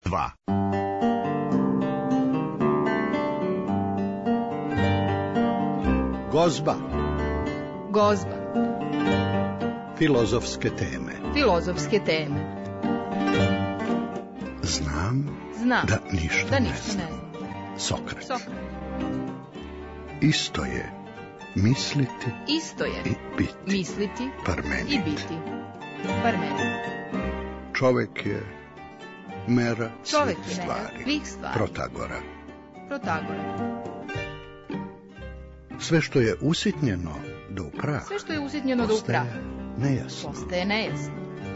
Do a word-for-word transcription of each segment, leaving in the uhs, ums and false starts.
dva. Gozba. Gozba. Filozofske teme. Filozofske teme. Znam, Znam da ništa, da ne ništa znam. ne znam. Sokrat. Sokrat. Isto je misliti Isto je i biti. misliti Parmenid. i biti. Parmenid. Čovek je mera Čovek svih je mera stvari. svih stvari. Protagora. Protagora. Sve što je usitnjeno do u prah, Sve što je usitnjeno do u prah postaje nejasno. postaje nejasno.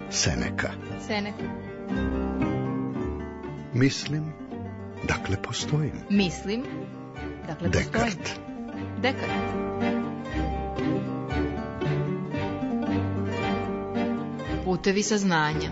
Seneka. Seneca. Mislim, dakle postojim. Mislim, dakle postojim. Dekart. Dekart. Putevi saznanja.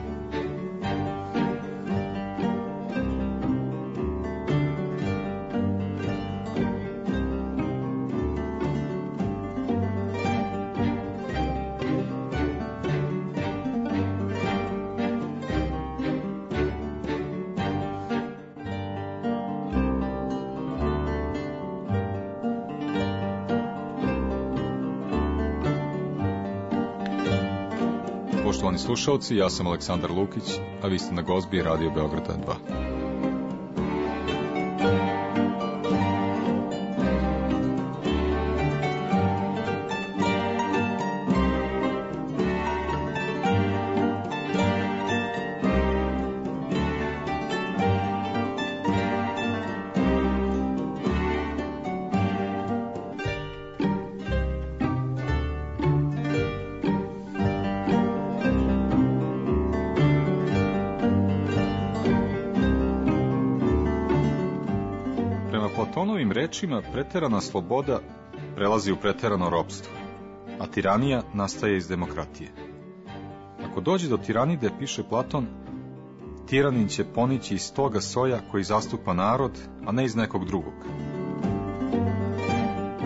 Poštovani slušalci, ja sam Aleksandar Lukić, a vi ste na Gozbi Radio Beograda dva. Platonovim rečima preterana sloboda prelazi u preterano ropstvo, a tiranija nastaje iz demokratije. Ako dođe do tiranide, piše Platon, tiranin će ponići iz toga soja koji zastupa narod, a ne iz nekog drugog.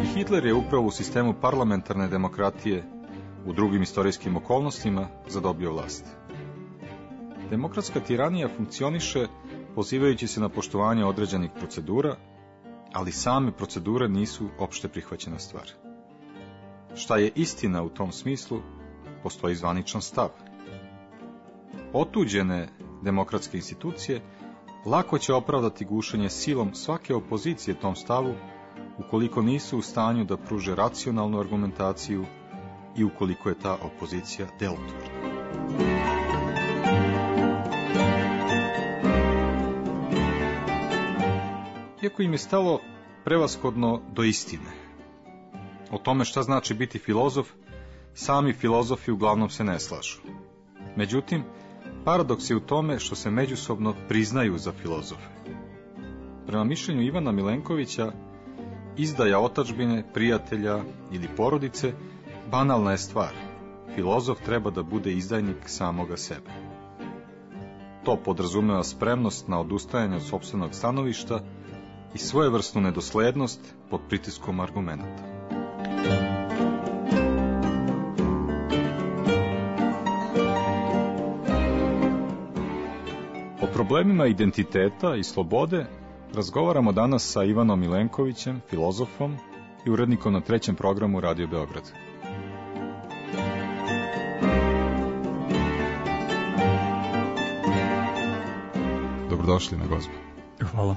I Hitler je upravo u sistemu parlamentarne demokratije u drugim istorijskim okolnostima zadobio vlast. Demokratska tiranija funkcioniše pozivajući se na poštovanje određenih procedura, ali same procedure nisu opšte prihvaćena stvar. Šta je istina u tom smislu, postoji zvaničan stav. Otuđene demokratske institucije lako će opravdati gušenje silom svake opozicije tom stavu, ukoliko nisu u stanju da pruže racionalnu argumentaciju i ukoliko je ta opozicija delotvorna. Iako im je stalo prevashodno do istine. O tome šta znači biti filozof, sami filozofi uglavnom se ne slažu. Međutim, paradoks je u tome što se međusobno priznaju za filozofe. Prema mišljenju Ivana Milenkovića, izdaja otadžbine, prijatelja ili porodice banalna je stvar. Filozof treba da bude izdajnik samoga sebe. To podrazumeva spremnost na odustajanje od sopstvenog stanovišta i svojevrsnu nedoslednost pod pritiskom argumenata. O problemima identiteta i slobode razgovaramo danas sa Ivanom Milenkovićem, filozofom i urednikom na trećem programu Radio Beograd. Dobrodošli na Gozbu. Hvala.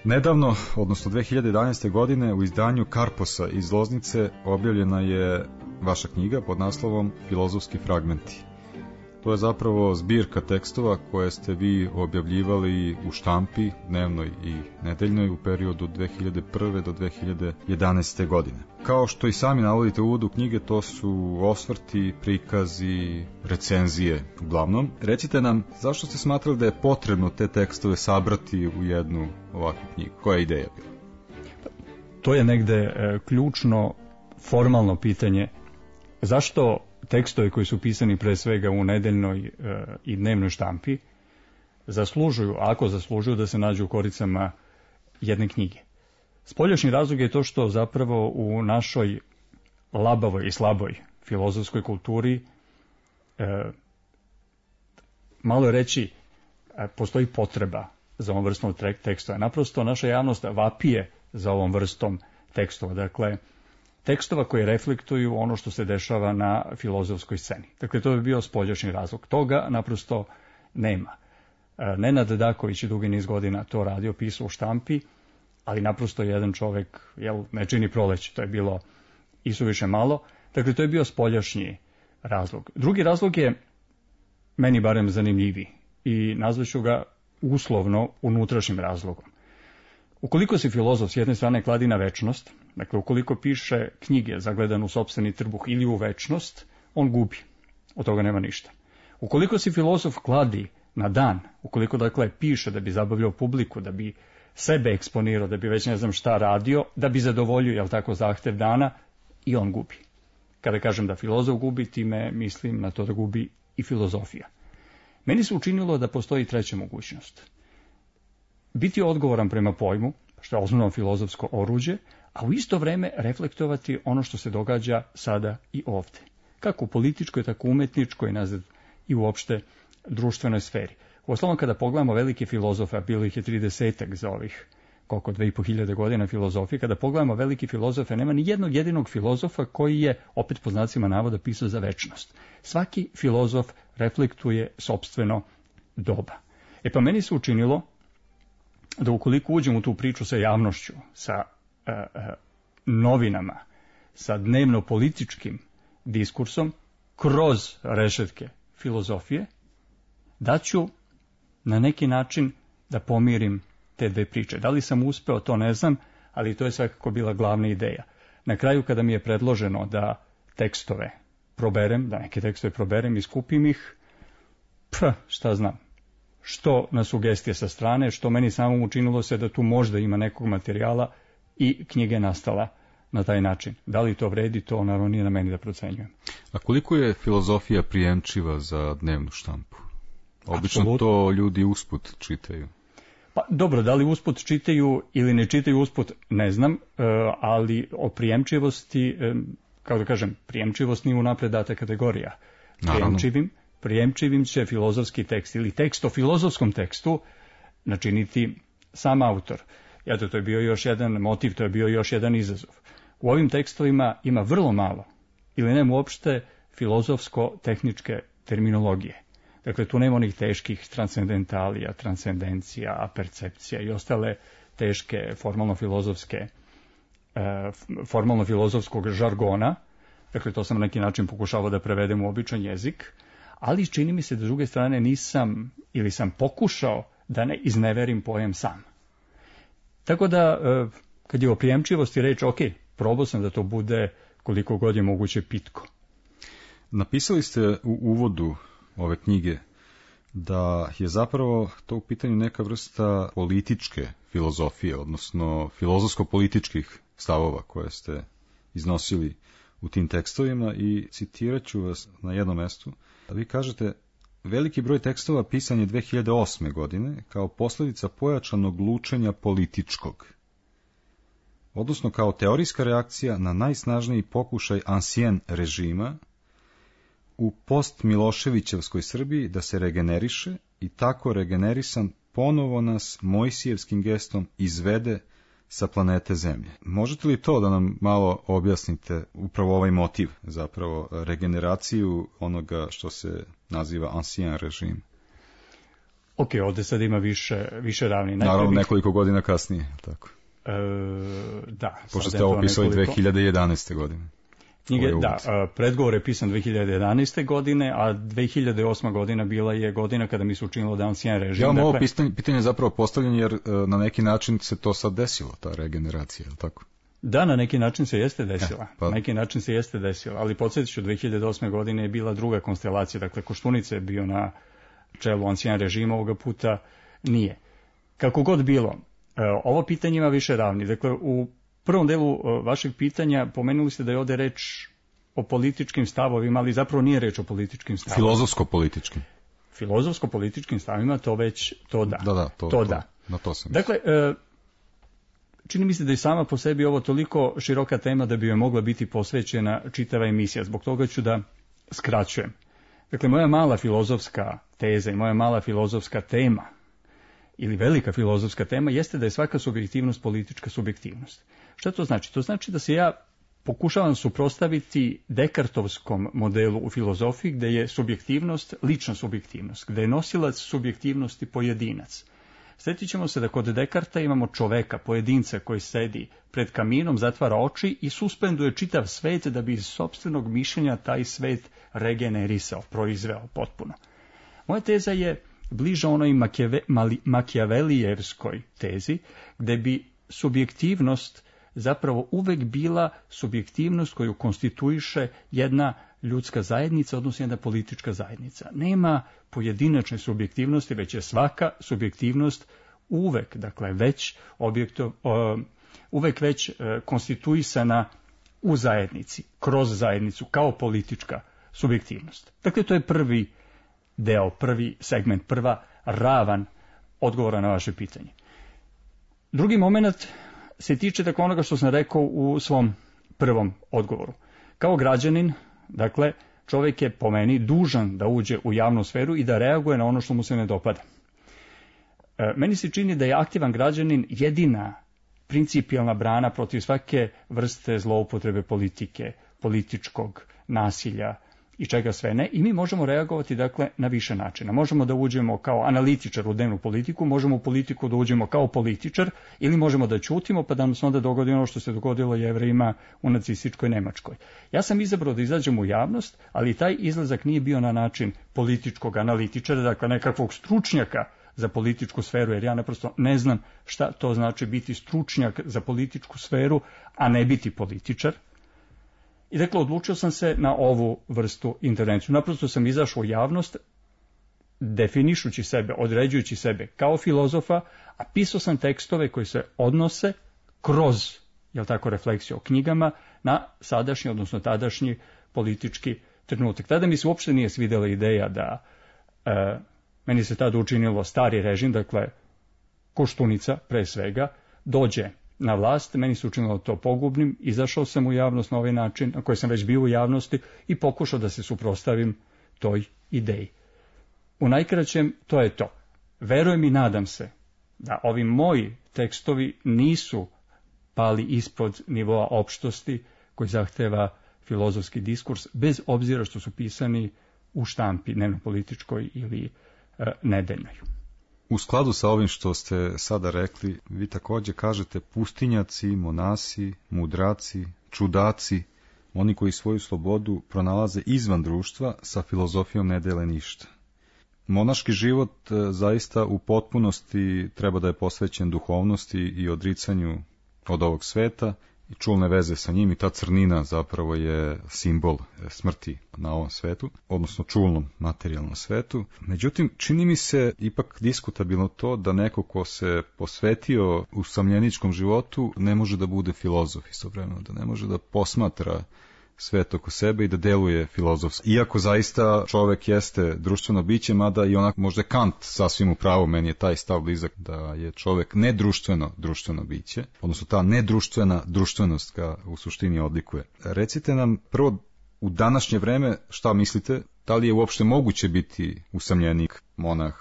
Nedavno, odnosno dve hiljade jedanaeste. godine, u izdanju Karposa iz Loznice objavljena je vaša knjiga pod naslovom Filozofski fragmenti. To je zapravo zbirka tekstova koje ste vi objavljivali u štampi, dnevnoj i nedeljnoj, u periodu dve hiljade prve. do dve hiljade jedanaeste. godine. Kao što i sami navodite u uvodu knjige, to su osvrti, prikazi, recenzije uglavnom. Recite nam, zašto ste smatrali da je potrebno te tekstove sabrati u jednu ovakvu knjigu? Koja je ideja bila? To je negde e, ključno formalno pitanje. Zašto tekstovi koji su pisani pre svega u nedeljnoj e, i dnevnoj štampi zaslužuju, ako zaslužuju, da se nađu u koricama jedne knjige? Spoljašnji razlog je to što zapravo u našoj labavoj i slaboj filozofskoj kulturi, e, malo je reći, postoji potreba za ovom vrstom tekstova. Naprosto naša javnost vapije za ovom vrstom tekstova. Dakle, tekstova koji reflektuju ono što se dešava na filozofskoj sceni. Dakle, to bi bio spoljašnji razlog. Toga naprosto nema. Nenad Daković je dugi niz godina to radio, pisao u štampi, ali naprosto jedan čovek, jel, ne čini proleće, to je bilo isuviše malo. Dakle, to je bio spoljašnji razlog. Drugi razlog je meni barem zanimljiviji i nazvaću ga uslovno unutrašnjim razlogom. Ukoliko si filozof s jedne strane kladi na večnost, dakle ukoliko piše knjige zagledan u sopstveni trbuh ili u večnost, on gubi. Od toga nema ništa. Ukoliko si filozof kladi na dan, ukoliko dakle piše da bi zabavljao publiku, da bi sebe eksponirao, da bi već ne znam šta radio, da bi zadovoljio, jel tako, zahtev dana, i on gubi. Kada kažem da filozof gubi, time mislim na to da gubi i filozofija. Meni se učinilo da postoji treća mogućnost. Biti odgovoran prema pojmu, što je osnovno filozofsko oruđe, a u isto vreme reflektovati ono što se događa sada i ovde. Kako u političkoj, tako u umetničkoj, nazad i uopšte društvenoj sferi. Uostalom, kada pogledamo velike filozofe, a bilo ih je tridesetak za ovih koliko dve i po hiljade godina filozofije, kada pogledamo velike filozofe, nema ni jednog jedinog filozofa koji je, opet po znacima navoda, pisao za večnost. Svaki filozof reflektuje sopstveno doba. E pa meni se učinilo da ukoliko uđem u tu priču sa javnošću, sa uh, uh, novinama, sa dnevno-političkim diskursom, kroz rešetke filozofije, da ću na neki način da pomirim te dve priče. Da li sam uspeo, to ne znam, ali to je svakako bila glavna ideja. Na kraju, kada mi je predloženo da tekstove proberem, da neke tekstove proberem i skupim ih, pf, šta znam, što na sugestije sa strane, što meni samom učinilo se da tu možda ima nekog materijala i knjiga je nastala na taj način. Da li to vredi, to naravno nije na meni da procenjujem. A koliko je filozofija prijemčiva za dnevnu štampu? Obično Absolutno. To ljudi usput čitaju. Pa dobro, da li usput čitaju ili ne čitaju usput, ne znam, ali o prijemčivosti, kao da kažem, prijemčivost nije unapred data kategorija. Prijemčivim, prijemčivim će filozofski tekst ili tekst o filozofskom tekstu načiniti sam autor. Eto, to je bio još jedan motiv, to je bio još jedan izazov. U ovim tekstovima ima vrlo malo, ili nema uopšte filozofsko-tehničke terminologije. Dakle, tu nema onih teških transcendentalija, transcendencija, percepcija i ostale teške formalno-filozofske, formalno-filozofskog žargona. Dakle, to sam na neki način pokušavao da prevedem u običan jezik, ali čini mi se da s druge strane nisam ili sam pokušao da ne izneverim pojam sam. Tako da, kad je o prijemčivosti reč, ok, probao sam da to bude koliko god je moguće pitko. Napisali ste u uvodu ove knjige da je zapravo to u pitanju neka vrsta političke filozofije, odnosno filozofsko-političkih stavova koje ste iznosili u tim tekstovima i citirat ću vas na jednom mestu. Vi kažete, veliki broj tekstova pisan je dve hiljade osme. godine kao posljedica pojačanog lučenja političkog, odnosno kao teorijska reakcija na najsnažniji pokušaj ansien režima u post-Miloševićevskoj Srbiji da se regeneriše i tako regenerisan ponovo nas Mojsijevskim gestom izvede sa planete Zemlje. Možete li to da nam malo objasnite, upravo ovaj motiv, zapravo regeneraciju onoga što se naziva ancien režim? Ok, ovdje sad ima više, više ravni. Naravno, nekoliko godina kasnije, tako. E, da. Pošto ste ovo pisali nekoliko... dve hiljade jedanaeste. godine. Knjige, da, predgovor je pisan dve hiljade jedanaeste. godine, a dve hiljade osma. godina bila je godina kada mi se učinilo da ancien režim. Ja vam dakle... ovo pitanje, pitanje zapravo postavljeno jer na neki način se to sad desilo, ta regeneracija, je li tako? Da, na neki način se jeste desila. Ja, pa... Na neki način se jeste desila, ali podsjetit ću, dve hiljade osme. godine je bila druga konstelacija, dakle Koštunica je bio na čelu ancien režima, ovoga puta nije. Kako god bilo, ovo pitanje ima više ravni. Dakle, u prvom delu vašeg pitanja pomenuli ste da je ovdje reč o političkim stavovima, ali zapravo nije reč o političkim stavovima. Filozofsko-političkim. Filozofsko-političkim stavovima, to već, to da. Da, da, to, to, to da. Na to sam. Dakle, čini mi se da je sama po sebi ovo toliko široka tema da bi joj mogla biti posvećena čitava emisija. Zbog toga ću da skraćujem. Dakle, moja mala filozofska teza i moja mala filozofska tema ili velika filozofska tema jeste da je svaka subjektivnost politička subjektivnost. Šta to znači? To znači da se ja pokušavam suprotstaviti Dekartovskom modelu u filozofiji gdje je subjektivnost lična subjektivnost, gdje je nosilac subjektivnosti pojedinac. Sjetit ćemo se da kod Dekarta imamo čoveka, pojedinca koji sedi pred kaminom, zatvara oči i suspenduje čitav svet da bi iz sopstvenog mišljenja taj svet regenerisao, proizveo potpuno. Moja teza je bliža onoj Makijavelijevskoj tezi, gdje bi subjektivnost zapravo uvek bila subjektivnost koju konstituiše jedna ljudska zajednica, odnosno jedna politička zajednica. Nema pojedinačne subjektivnosti, već je svaka subjektivnost uvek, dakle već objekto, uh, uvek već uh, konstituisana u zajednici, kroz zajednicu, kao politička subjektivnost. Dakle, to je prvi deo, prvi segment, prva ravan odgovora na vaše pitanje. Drugi moment se tiče tako onoga što sam rekao u svom prvom odgovoru. Kao građanin, dakle, čovjek je po meni dužan da uđe u javnu sferu i da reaguje na ono što mu se ne dopada. E, meni se čini da je aktivan građanin jedina principijelna brana protiv svake vrste zloupotrebe politike, političkog nasilja i čega sve ne. I mi možemo reagovati, dakle, na više načina. Možemo da uđemo kao analitičar u dnevnu politiku, možemo u politiku da uđemo kao političar ili možemo da ćutimo pa da nam se onda dogodi ono što se dogodilo Jevrejima u nacističkoj Nemačkoj. Ja sam izabrao da izađem u javnost, ali taj izlazak nije bio na način političkog analitičara, dakle nekakvog stručnjaka za političku sferu, jer ja naprosto ne znam šta to znači biti stručnjak za političku sferu, a ne biti političar. I dakle, odlučio sam se na ovu vrstu intervenciju. Naprosto sam izašao u javnost, definišući sebe, određujući sebe kao filozofa, a pisao sam tekstove koji se odnose kroz, jel tako, refleksiju o knjigama na sadašnji, odnosno tadašnji politički trenutak. Tada mi se uopšte nije svidjela ideja da, e, meni se tada učinilo stari režim, dakle, Koštunica pre svega, dođe na vlast, meni se učinilo to pogubnim, izašao sam u javnost na ovaj način, na koji sam već bio u javnosti i pokušao da se suprotstavim toj ideji. U najkraćem, to je to. Verujem i nadam se da ovi moji tekstovi nisu pali ispod nivoa opštosti koji zahteva filozofski diskurs, bez obzira što su pisani u štampi dnevno-političkoj ili e, nedeljnoj. U skladu sa ovim što ste sada rekli, vi također kažete pustinjaci, monasi, mudraci, čudaci, oni koji svoju slobodu pronalaze izvan društva, sa filozofijom ne dele ništa. Monaški život zaista u potpunosti treba da je posvećen duhovnosti i odricanju od ovog sveta i čulne veze sa njim, i ta crnina zapravo je simbol smrti na ovom svetu, odnosno čulnom materijalnom svetu. Međutim, čini mi se ipak diskutabilno to da neko ko se posvetio usamljeničkom životu ne može da bude filozof istovremeno, da ne može da posmatra svet oko sebe i da deluje filozofski. Iako zaista čovek jeste društveno biće, mada i onak možda Kant sasvim u pravu, meni je taj stav blizak da je čovek nedruštveno društveno biće, odnosno ta nedruštvena društvenost ga u suštini odlikuje. Recite nam prvo u današnje vreme šta mislite, da li je uopšte moguće biti usamljenik, monah,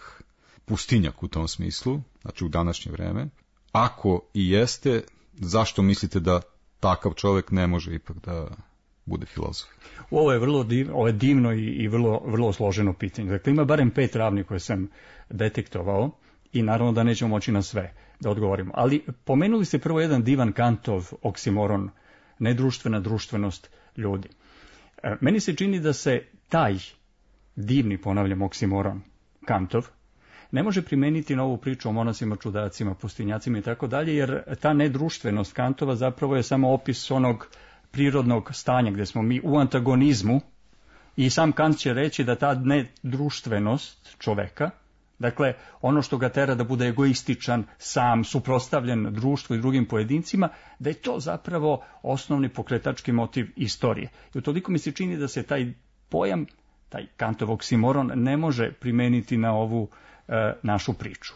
pustinjak u tom smislu, znači u današnje vreme? Ako i jeste, zašto mislite da takav čovek ne može ipak da bude filozof? Ovo je vrlo divno, ovo je divno i, i vrlo, vrlo složeno pitanje. Dakle, ima barem pet ravni koje sam detektovao i naravno da nećemo moći na sve da odgovorimo. Ali pomenuli ste prvo jedan divan Kantov oksimoron, nedruštvena društvenost ljudi. E, meni se čini da se taj divni, ponavljam, oksimoron Kantov ne može primeniti na ovu priču o monasima, čudacima, pustinjacima i tako dalje, jer ta nedruštvenost Kantova zapravo je samo opis onog prirodnog stanja gdje smo mi u antagonizmu, i sam Kant će reći da ta nedruštvenost čoveka, dakle ono što ga tera da bude egoističan, sam, suprotstavljen društvu i drugim pojedincima, da je to zapravo osnovni pokretački motiv istorije. I utoliko mi se čini da se taj pojam, taj Kantov oksimoron, ne može primeniti na ovu e, našu priču.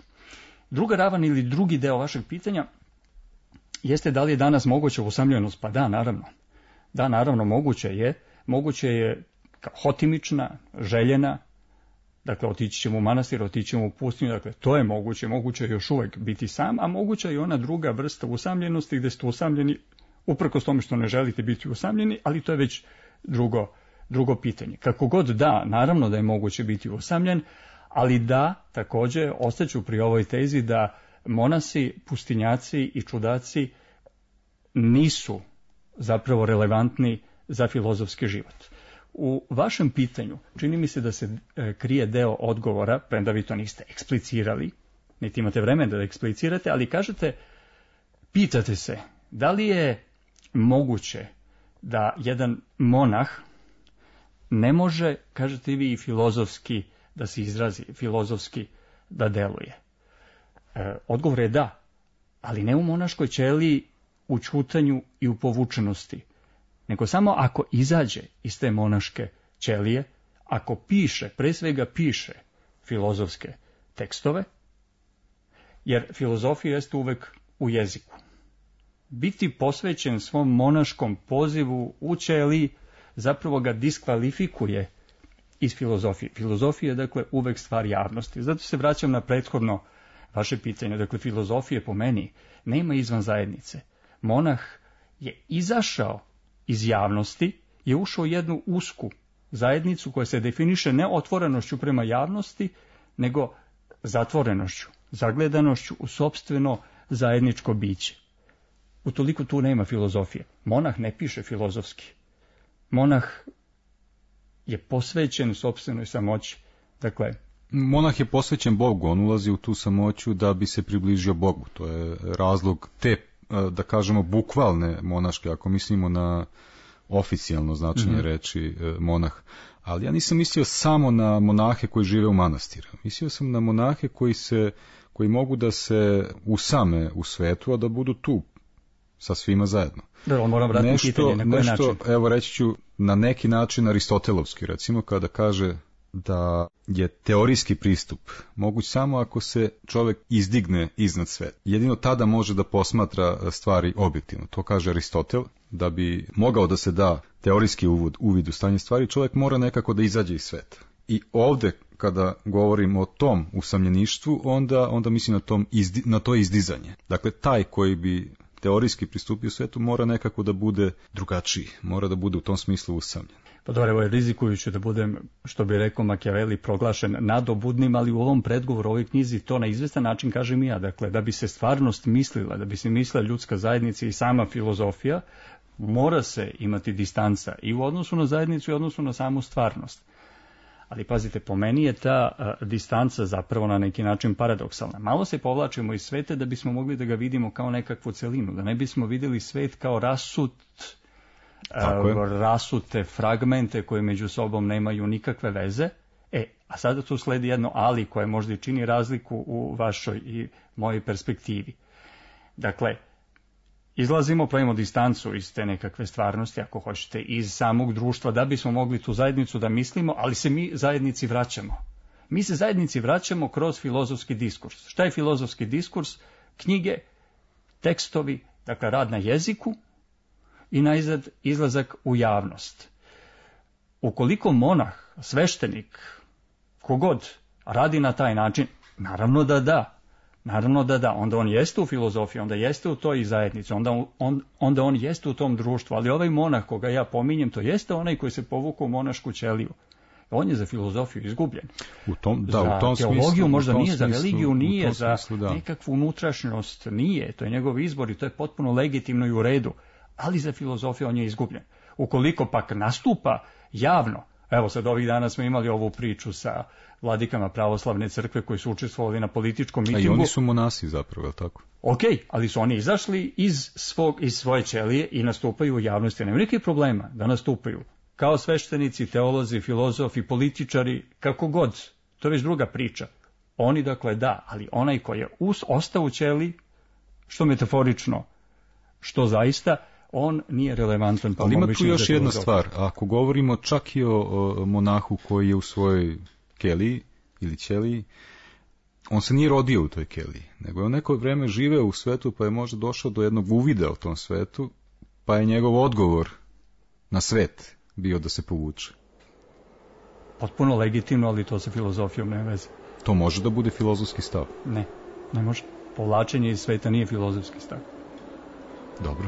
Druga ravan ili drugi deo vašeg pitanja jeste da li je danas moguća usamljenost? Pa da, naravno. Da, naravno, moguće je. Moguće je kao hotimična, željena, dakle otići ćemo u manastir, otići ćemo u pustinju, dakle to je moguće, moguće je još uvijek biti sam, a moguća je i ona druga vrsta usamljenosti gdje ste usamljeni, uprkos tome što ne želite biti usamljeni, ali to je već drugo, drugo pitanje. Kako god da, naravno da je moguće biti usamljen, ali da, također, ostaću pri ovoj tezi da monasi, pustinjaci i čudaci nisu zapravo relevantni za filozofski život. U vašem pitanju čini mi se da se e, krije deo odgovora, premda vi to niste eksplicirali, niti imate vremena da eksplicirate, ali kažete, pitate se, da li je moguće da jedan monah ne može, kažete vi, filozofski da se izrazi, filozofski da deluje? E, odgovor je da, ali ne u monaškoj ćeliji, u ćutanju i u povučenosti, nego samo ako izađe iz te monaške ćelije, ako piše, pre svega piše filozofske tekstove, jer filozofija jeste uvek u jeziku. Biti posvećen svom monaškom pozivu u ćeliji zapravo ga diskvalifikuje iz filozofije. Filozofija je, dakle, uvek stvar javnosti. Zato se vraćam na prethodno vaše pitanje. Dakle, filozofije po meni nema izvan zajednice. Monah je izašao iz javnosti, je ušao u jednu usku zajednicu koja se definiše ne otvorenošću prema javnosti, nego zatvorenošću, zagledanošću u sopstveno zajedničko biće. Utoliko tu nema filozofije. Monah ne piše filozofski. Monah je posvećen sopstvenoj samoći. Dakle, monah je posvećen Bogu, on ulazi u tu samoću da bi se približio Bogu. To je razlog te, da kažemo, bukvalne monaške, ako mislimo na oficijalno značenje mm-hmm. reči monah. Ali ja nisam mislio samo na monahe koji žive u manastiru. Mislio sam na monahe koji se, koji mogu da se usame u svetu, a da budu tu sa svima zajedno. Da, on moram vratiti nešto, pitanje, na koji nešto, način? Evo reći ću, na neki način aristotelovski, recimo, kada kaže da je teorijski pristup moguć samo ako se čovjek izdigne iznad sveta. Jedino tada može da posmatra stvari objektivno. To kaže Aristotel. Da bi mogao da se da teorijski uvod, uvid u stanje stvari, čovjek mora nekako da izađe iz sveta. I ovdje, kada govorim o tom usamljeništvu, onda, onda mislim na, tom izdi, na to izdizanje. Dakle, taj koji bi teorijski pristupio svetu mora nekako da bude drugačiji, mora da bude u tom smislu usamljen. Pa dobro, evo je rizikujući da budem, što bi rekao Machiavelli, proglašen nadobudnim, ali u ovom predgovoru, u ovoj knjizi, to na izvestan način kažem i ja. Dakle, da bi se stvarnost mislila, da bi se mislila ljudska zajednica i sama filozofija, mora se imati distanca i u odnosu na zajednicu i u odnosu na samu stvarnost. Ali pazite, po meni je ta a, distanca zapravo na neki način paradoksalna. Malo se povlačimo iz sveta da bismo mogli da ga vidimo kao nekakvu celinu, da ne bismo vidjeli svet kao rasut, a, rasute fragmente koje među sobom nemaju nikakve veze. E, a sada tu sledi jedno ali koje možda i čini razliku u vašoj i mojoj perspektivi. Dakle, izlazimo, pravimo distancu iz te nekakve stvarnosti, ako hoćete, iz samog društva, da bismo mogli tu zajednicu da mislimo, ali se mi zajednici vraćamo. Mi se zajednici vraćamo kroz filozofski diskurs. Šta je filozofski diskurs? Knjige, tekstovi, dakle rad na jeziku i najzad izlazak u javnost. Ukoliko monah, sveštenik, kogod radi na taj način, naravno da da. Naravno da da, onda on jeste u filozofiji, onda jeste u toj zajednici, onda on, onda on jeste u tom društvu, ali ovaj monah koga ja pominjem, to jeste onaj koji se povukao u monašku ćeliju. On je za filozofiju izgubljen. U tom, da, za u tom teologiju smislu, možda tom nije, smislu, za religiju nije, za smislu, da. nekakvu unutrašnjost nije, to je njegov izbor i to je potpuno legitimno i u redu, ali za filozofiju on je izgubljen. Ukoliko pak nastupa javno, evo sad ovih dana smo imali ovu priču sa vladikama pravoslavne crkve koji su učestvovali na političkom mitingu. A i oni su monasi zapravo, je li tako? Ok, ali su oni izašli iz, svog, iz svoje ćelije i nastupaju u javnosti. Nema nekih problema da nastupaju. Kao sveštenici, teolozi, filozofi, političari, kako god. To je već druga priča. Oni dakle da, ali onaj koji je us, ostao u ćeliji, što metaforično, što zaista, on nije relevantan. Ali ima tu još jedna stvar. Ako govorimo čak i o, o monahu koji je u svojoj keliji ili ćeliji, on se nije rodio u toj keliji, nego je on neko vreme živeo u svetu, pa je možda došao do jednog uvida u tom svetu, pa je njegov odgovor na svet bio da se povuče. potpuno legitimno, ali to sa filozofijom nema veze. To može da bude filozofski stav? Ne, ne može. Povlačenje iz sveta nije filozofski stav. Dobro.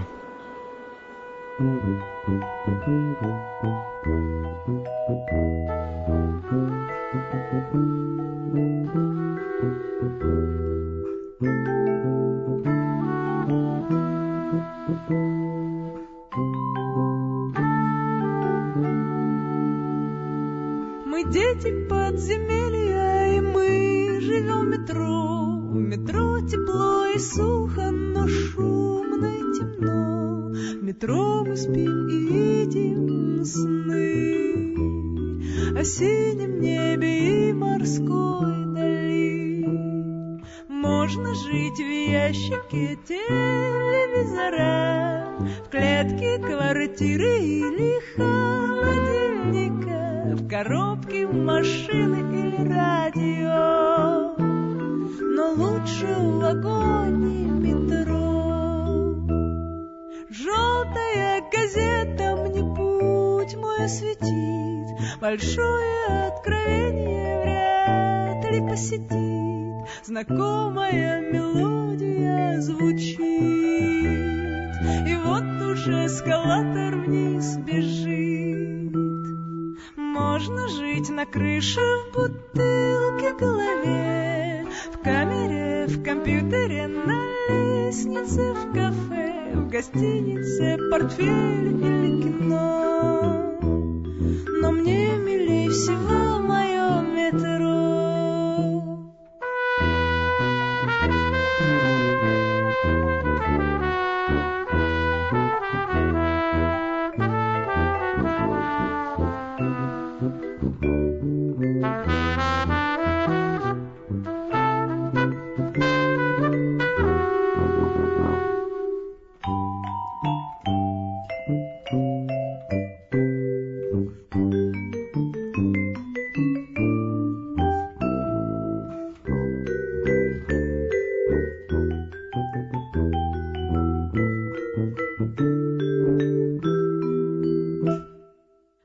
Мы дети подземелья, и мы живем в метро. В метро тепло и сухо, но шумно и темно. В метро мы спим и видим сны о синем небе и морской дали. Можно жить в ящике телевизора, в клетке квартиры или холодильника, в коробке машины или радио, но лучше в вагоне метро. Желтая газета мне путь мой осветит, большое откровение вряд ли посетит, знакомая мелодия звучит, и вот уже эскалатор вниз бежит. Можно жить на крыше, в бутылке в голове, в камере, в компьютере, на лестнице, в кафе, в гостинице, портфель или кино. Но мне милей всего мое метро.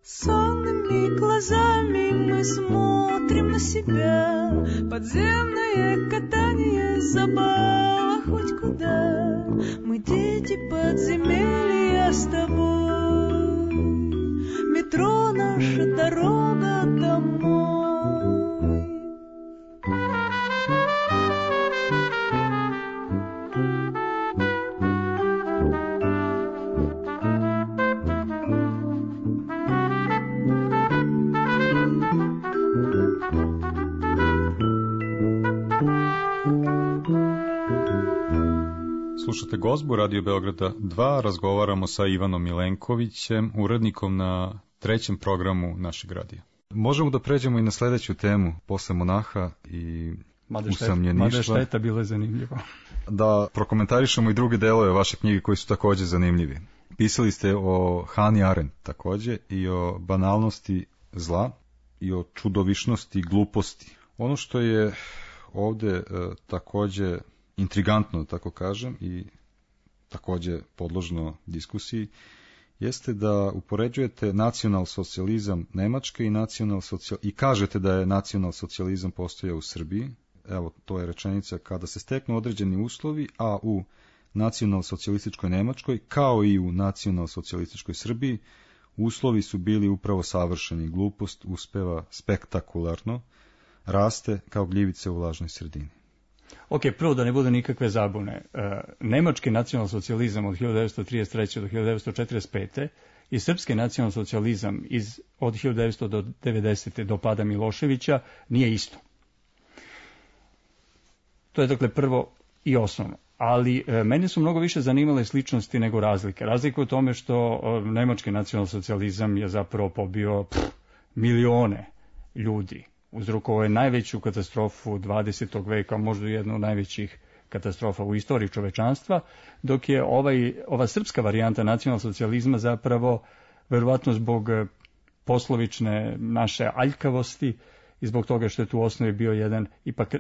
Сонными глазами мы смотрим на себя. Подземное катание, забава хоть куда. Мы дети подземелья с тобой. Метро наша дорога домой. Slušate Gozbu Radio Beograda dva, razgovaramo sa Ivanom Milenkovićem, urednikom na trećem programu našeg radija. Možemo da pređemo i na sledeću temu, posle monaha i usamljeništva. Mada je šteta, bilo je zanimljivo. Da prokomentarišemo i druge delove vaše knjige koji su takođe zanimljivi. Pisali ste o Hannah Arendt takođe i o banalnosti zla i o čudovišnosti i gluposti. Ono što je ovde e, takođe intrigantno, da tako kažem, i takođe podložno diskusiji, jeste da upoređujete nacionalsocijalizam Nemačke i nacionalsocijal... i kažete da je nacionalsocijalizam postojao u Srbiji. Evo, to je rečenica: kada se steknu određeni uslovi, a u nacionalsocijalističkoj Nemačkoj, kao i u nacionalsocijalističkoj Srbiji, uslovi su bili upravo savršeni. Glupost uspeva spektakularno, raste kao gljivice u vlažnoj sredini. Ok, prvo da ne bude nikakve zabune. E, nemački nacionalsocijalizam od hiljadu devetsto trideset treće do hiljadu devetsto četrdeset pete i srpski nacionalsocijalizam iz, od hiljadu devetsto devedesete do pada Miloševića nije isto. To je dakle prvo i osnovno. Ali e, mene su mnogo više zanimale sličnosti nego razlike. Razlika u tome što e, nemački nacionalsocijalizam je zapravo pobio pff, milione ljudi. Uzrokovao je najveću katastrofu dvadesetog veka, možda jednu od najvećih katastrofa u istoriji čovečanstva, dok je ovaj, ova srpska varijanta nacionalsocijalizma zapravo, verovatno zbog poslovične naše aljkavosti i zbog toga što je tu u osnovi bio jedan ipak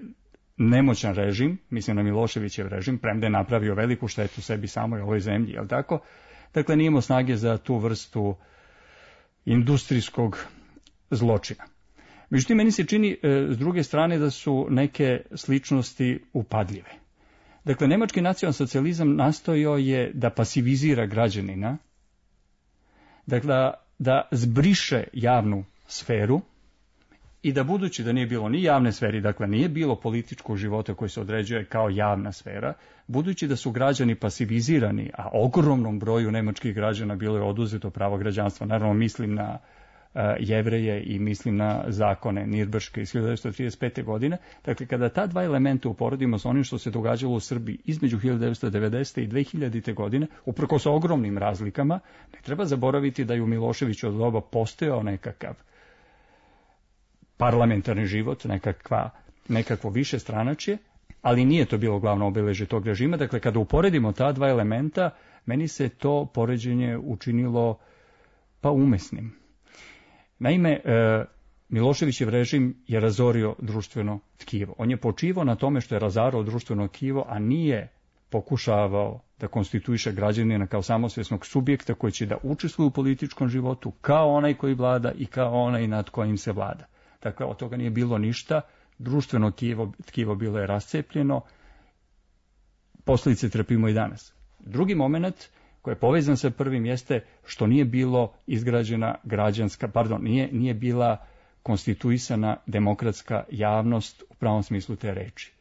nemoćan režim, mislim na Miloševićev režim, premda je napravio veliku štetu sebi samoj ovoj zemlji, je li tako? Dakle, nije imao snage za tu vrstu industrijskog zločina. Međutim, meni se čini e, s druge strane da su neke sličnosti upadljive. Dakle, nemački nacionalsocijalizam nastojao je da pasivizira građanina, dakle, da zbriše javnu sferu i da budući da nije bilo ni javne sferi, dakle nije bilo političkog života koji se određuje kao javna sfera, budući da su građani pasivizirani, a ogromnom broju nemačkih građana bilo je oduzeto pravo građanstva, naravno mislim na uh, Jevreje i mislim na zakone Nirnberške iz hiljadu devetsto trideset pete. godine, dakle kada ta dva elementa uporedimo s onim što se događalo u Srbiji između hiljadu devetsto devedesete. i dve hiljadite. godine, uprkos ogromnim razlikama, ne treba zaboraviti da je u Miloševiću od doba postojao nekakav parlamentarni život, nekakva, nekakvo više stranačje, ali nije to bilo glavno obeležje tog režima. Dakle, kada uporedimo ta dva elementa, meni se to poređenje učinilo pa umesnim. Naime, e, Miloševićev režim je razorio društveno tkivo. On je počivao na tome što je razarao društveno tkivo, a nije pokušavao da konstituiše građanina kao samosvjesnog subjekta koji će da učestvuje u političkom životu kao onaj koji vlada i kao onaj nad kojim se vlada. Dakle, od toga nije bilo ništa, društveno tkivo, tkivo bilo je rascepljeno, posljedice trpimo i danas. Drugi moment koji je povezan sa prvim jeste što nije bilo izgrađena građanska, pardon, nije, nije bila konstituisana demokratska javnost u pravom smislu te reči.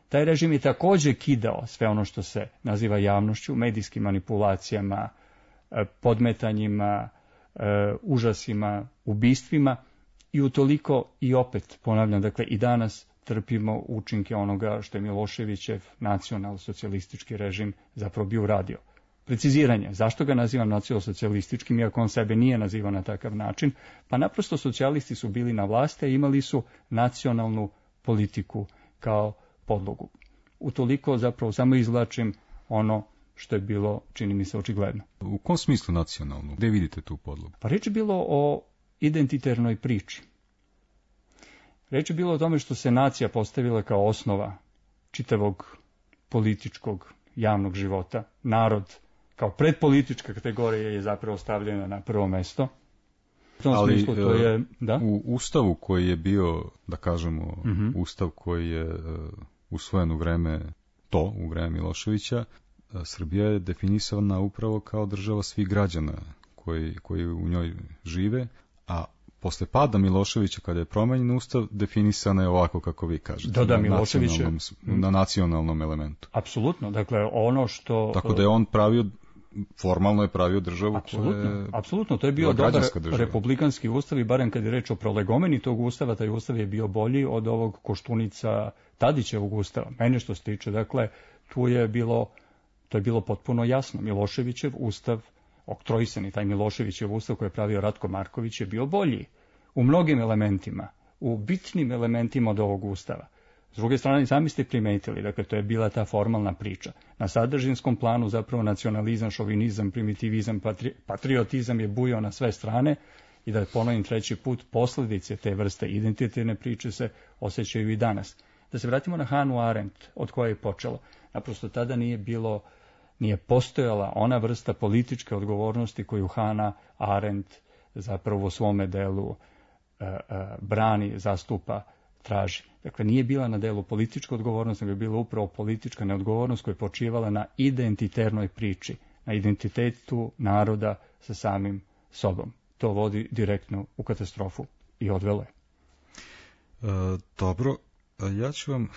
Taj režim je također kidao sve ono što se naziva javnošću, medijskim manipulacijama, podmetanjima, užasima, ubistvima, i utoliko i opet, ponavljam, dakle i danas trpimo učinke onoga što je Miloševićev nacionalsocijalistički režim zapravo bio uradio. Preciziranje, zašto ga nazivam nacionalsocijalističkim, iako on sebe nije nazivao na takav način? Pa naprosto socijalisti su bili na vlasti, a imali su nacionalnu politiku kao podlogu. Utoliko zapravo samo izvlačim ono što je bilo, čini mi se, očigledno. U kom smislu nacionalnu? Gde vidite tu podlogu? Pa reč je bilo o identiternoj priči. Reč je bilo o tome što se nacija postavila kao osnova čitavog političkog javnog života. Narod kao predpolitička kategorija je zapravo stavljena na prvo mesto. U tom Ali smislu, to je, da? U ustavu koji je bio, da kažemo, uh-huh. ustav koji je uh, usvojen u vreme to, u vreme Miloševića, uh, Srbija je definisana upravo kao država svih građana koji, koji u njoj žive, a posle pada Miloševića, kada je promenjen ustav, definisana je ovako kako vi kažete, da, da, na, nacionalnom, na nacionalnom elementu. Apsolutno, dakle ono što... Tako da je on pravio, formalno je pravio državu apsolutno, koja je... Apsolutno, to je bio dobar republikanski ustav i barem kad je reč o prolegomeni tog ustava, taj ustav je bio bolji od ovog Koštunica Tadićevog ustava. Mene što se tiče, dakle, tu je bilo, to je bilo potpuno jasno. Miloševićev ustav, oktroisani taj Miloševićev ustav koji je pravio Ratko Marković, je bio bolji u mnogim elementima, u bitnim elementima od ovog ustava. S druge strane, sami ste primetili, dakle, to je bila ta formalna priča. Na sadržinskom planu zapravo nacionalizam, šovinizam, primitivizam, patri, patriotizam je bujao na sve strane i da ponovim treći put, posljedice te vrste identitetne priče se osjećaju i danas. Da se vratimo na Hanu Arendt, od koje je počelo. Naprosto tada nije bilo, nije postojala ona vrsta političke odgovornosti koju Hana Arendt zapravo u svome delu uh, uh, brani, zastupa, traži. Dakle, nije bila na delu politička odgovornost, nego je bila upravo politička neodgovornost koja je počivala na identiternoj priči, na identitetu naroda sa samim sobom. To vodi direktno u katastrofu i odvelo je. E, dobro, ja ću vam e,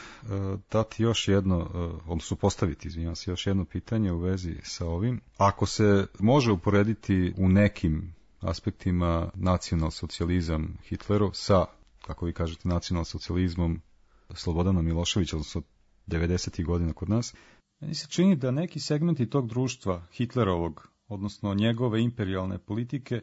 dati još jedno, e, odnosno postaviti, izvinjavam se, još jedno pitanje u vezi sa ovim. Ako se može uporediti u nekim aspektima nacionalsocijalizam Hitlerov sa, kako vi kažete, nacionalsocijalizmom Slobodana Miloševića, odnosno devedesetih godina kod nas, meni se čini da neki segmenti tog društva Hitlerovog, odnosno njegove imperijalne politike,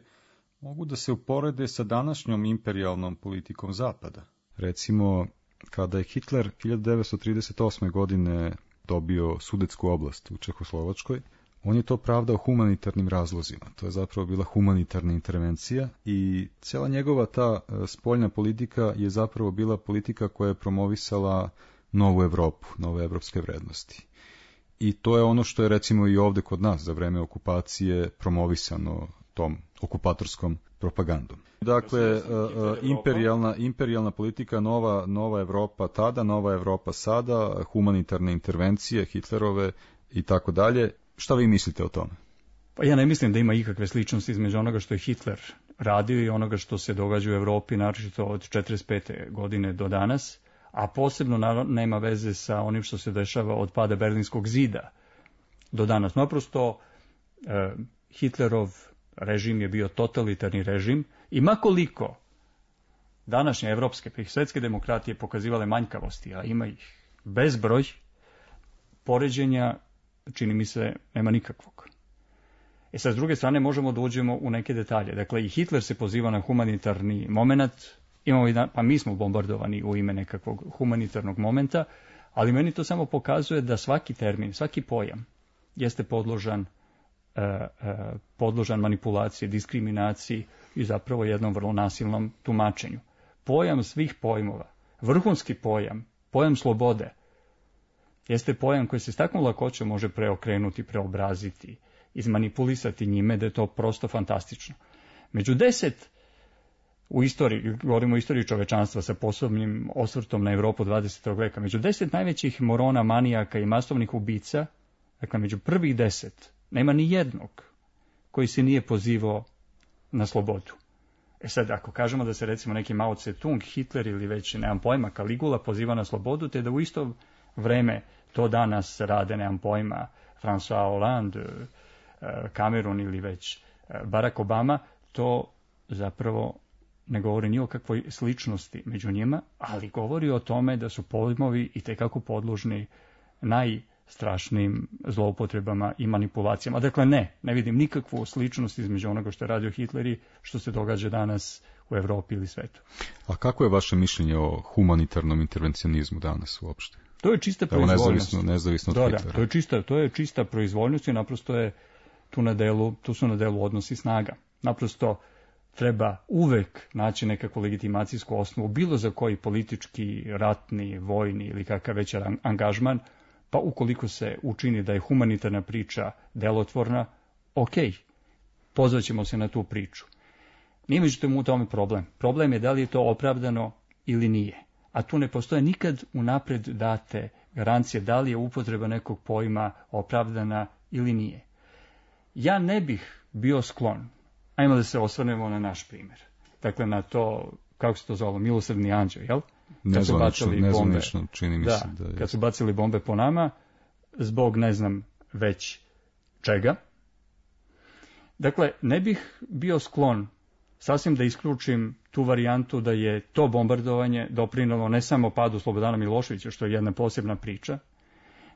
mogu da se uporede sa današnjom imperijalnom politikom Zapada. Recimo, kada je Hitler hiljadu devetsto trideset osme. godine dobio Sudetsku oblast u Čehoslovačkoj, on je to pravdao humanitarnim razlozima. To je zapravo bila humanitarna intervencija i cijela njegova ta spoljna politika je zapravo bila politika koja je promovisala novu Evropu, nove evropske vrednosti. I to je ono što je recimo i ovdje kod nas za vreme okupacije promovisano tom okupatorskom propagandom. Dakle, imperijalna, imperijalna politika, nova, nova Evropa tada, nova Evropa sada, humanitarne intervencije, Hitlerove i tako dalje. Šta vi mislite o tome? Pa ja ne mislim da ima ikakve sličnosti između onoga što je Hitler radio i onoga što se događa u Evropi, naročito od četrdeset pete godine do danas, a posebno naravno nema veze sa onim što se dešava od pada Berlinskog zida do danas. Naprosto, eh, Hitlerov režim je bio totalitarni režim i makoliko današnje evropske pa i svetske demokratije pokazivale manjkavosti, a ima ih bezbroj, poređenja, čini mi se, nema nikakvog. E sad, s druge strane, možemo da uđemo u neke detalje. Dakle, i Hitler se poziva na humanitarni moment, imamo i pa mi smo bombardovani u ime nekakvog humanitarnog momenta, ali meni to samo pokazuje da svaki termin, svaki pojam jeste podložan Uh, uh, podložan manipulaciji, diskriminaciji i zapravo jednom vrlo nasilnom tumačenju. Pojam svih pojmova, vrhunski pojam, pojam slobode, jeste pojam koji se s takvom lakoćom može preokrenuti, preobraziti, izmanipulisati njime, da je to prosto fantastično. Među deset, u istoriji, govorimo o istoriji čovečanstva sa posebnim osvrtom na Evropu dvadesetog veka, među deset najvećih morona, manijaka i masovnih ubica, dakle među prvih deset, nema ni jednog koji se nije pozivao na slobodu. E sad, ako kažemo da se recimo neki Mao Tse-tung, Hitler ili već, nemam pojma, Caligula poziva na slobodu, te da u isto vreme to danas rade, nemam pojma, François Hollande, Cameron ili već Barack Obama, to zapravo ne govori ni o kakvoj sličnosti među njima, ali govori o tome da su pojmovi itekako podložni naj strašnim zloupotrebama i manipulacijama. Dakle, ne, ne vidim nikakvu sličnost između onoga što je radio Hitler i što se događa danas u Evropi ili svetu. A kako je vaše mišljenje o humanitarnom intervencionizmu danas uopšte? To je čista proizvoljnost. Nezavisno, nezavisno od da, Hitlera. Da, to je čista, to je čista proizvoljnost i naprosto je tu na delu, tu su na delu odnosi snaga. Naprosto treba uvek naći nekakvu legitimacijsku osnovu, bilo za koji politički, ratni, vojni ili kakav već angažman, pa ukoliko se učini da je humanitarna priča delotvorna, ok, pozvaćemo se na tu priču. Nije međutim u tome problem. Problem je da li je to opravdano ili nije. A tu ne postoje nikad unapred date garancije da li je upotreba nekog pojma opravdana ili nije. Ja ne bih bio sklon, ajmo da se osvrnemo na naš primjer. Dakle, na to, kako se to zvalo, milosrdni anđeo, jel? Nezvanično, nezvanično, čini mi da, se da je. Kad su bacili bombe po nama, zbog ne znam već čega. Dakle, ne bih bio sklon sasvim da isključim tu varijantu da je to bombardovanje doprinalo ne samo padu Slobodana Miloševića, što je jedna posebna priča,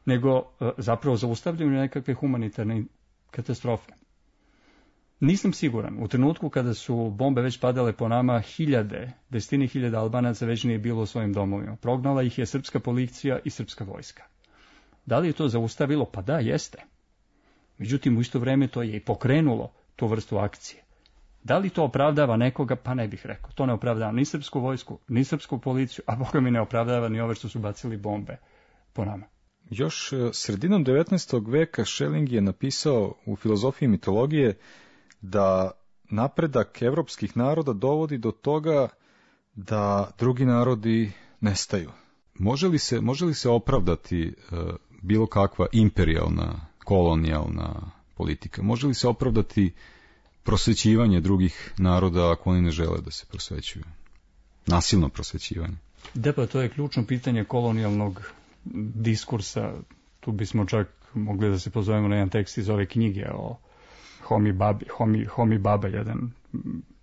nego zapravo zaustavljanju nekakve humanitarne katastrofe. Nisam siguran. U trenutku kada su bombe već padale po nama, hiljade, desetine hiljada Albanaca već nije bilo u svojim domovima. Prognala ih je srpska policija i srpska vojska. Da li je to zaustavilo? Pa da, jeste. Međutim, u isto vreme to je i pokrenulo tu vrstu akcije. Da li to opravdava nekoga? Pa ne bih rekao. To ne opravdava ni srpsku vojsku, ni srpsku policiju, a boga mi ne opravdava ni ove što su bacili bombe po nama. Još sredinom devetnaestog veka Schelling je napisao u filozofiji mitologije da napredak evropskih naroda dovodi do toga da drugi narodi nestaju. Može li se, može li se opravdati uh, bilo kakva imperijalna, kolonijalna politika? Može li se opravdati prosvećivanje drugih naroda ako oni ne žele da se prosvećuju? Nasilno prosvećivanje. Da, pa to je ključno pitanje kolonijalnog diskursa. Tu bismo čak mogli da se pozovemo na jedan tekst iz ove knjige o Homi Babi, Homi, Homi Baba, jedan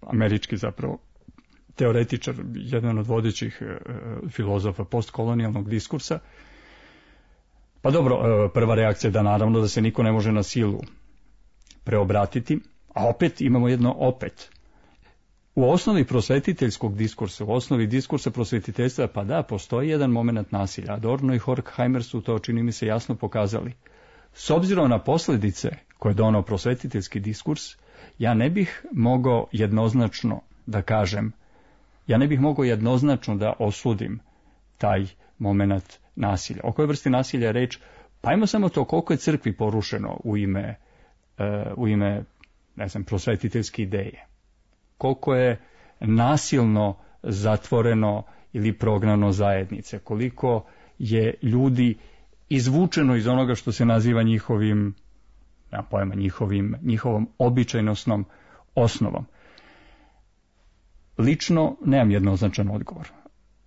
američki zapravo teoretičar, jedan od vodećih e, filozofa postkolonijalnog diskursa. Pa dobro, e, prva reakcija je da naravno da se niko ne može na silu preobratiti, a opet imamo jedno opet. U osnovi prosvetiteljskog diskursa, u osnovi diskursa prosvetiteljstva, pa da, postoji jedan moment nasilja. Adorno i Horkheimer su to, čini mi se, jasno pokazali. S obzirom na posljedice koje je donao prosvetiteljski diskurs, ja ne bih mogao jednoznačno da kažem, ja ne bih mogao jednoznačno da osudim taj moment nasilja. O kojoj vrsti nasilja je reč? Pa ajmo samo to koliko je crkvi porušeno u ime, uh, u ime ne znam, prosvetiteljske ideje. Koliko je nasilno zatvoreno ili prognano zajednice, koliko je ljudi izvučeno iz onoga što se naziva njihovim, ja pojma, njihovim, njihovom običajnosnom osnovom. Lično nemam jednoznačan odgovor.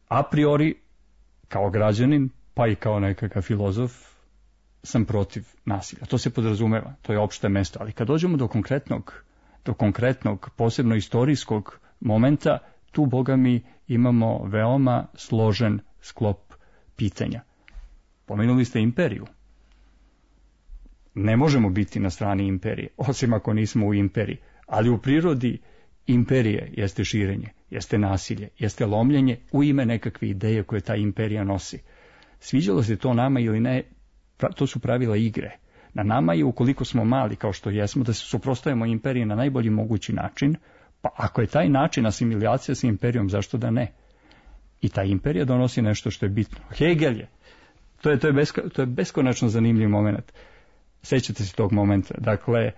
A priori, kao građanin, pa i kao nekakav filozof, sam protiv nasilja. To se podrazumeva, to je opšte mesto. Ali kad dođemo do konkretnog, do konkretnog, posebno istorijskog momenta, tu, boga mi, imamo veoma složen sklop pitanja. Pomenuli ste imperiju. Ne možemo biti na strani imperije, osim ako nismo u imperiji. Ali u prirodi imperije jeste širenje, jeste nasilje, jeste lomljenje u ime nekakve ideje koje ta imperija nosi. Sviđalo se to nama ili ne, to su pravila igre. Na nama je, ukoliko smo mali kao što jesmo, da se suprotstavimo imperiji na najbolji mogući način, pa ako je taj način asimilacija sa imperijom, zašto da ne? I ta imperija donosi nešto što je bitno. Hegel je. To je, to je, besko, to je beskonačno zanimljiv moment. Sećate se tog momenta. Dakle,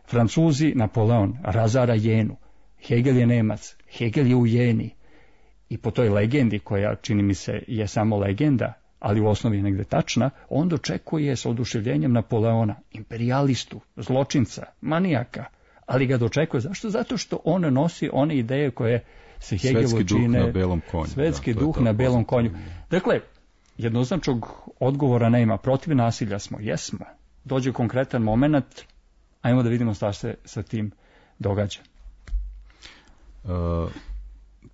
Francuzi, Napoleon razara Jenu. Hegel je Nemac. Hegel je u Jeni. I po toj legendi, koja čini mi se je samo legenda, ali u osnovi je negde tačna, on dočekuje s oduševljenjem Napoleona, imperijalistu, zločinca, manijaka, ali ga dočekuje. Zašto? Zato što on nosi one ideje koje se Hegelu čine... Svetski duh na belom konju. Svetski da, duh na belom konju. Dakle, jednoznačnog odgovora nema. Protiv nasilja smo, jesmo. Dođe konkretan moment, ajmo da vidimo šta se sa tim događa. Uh...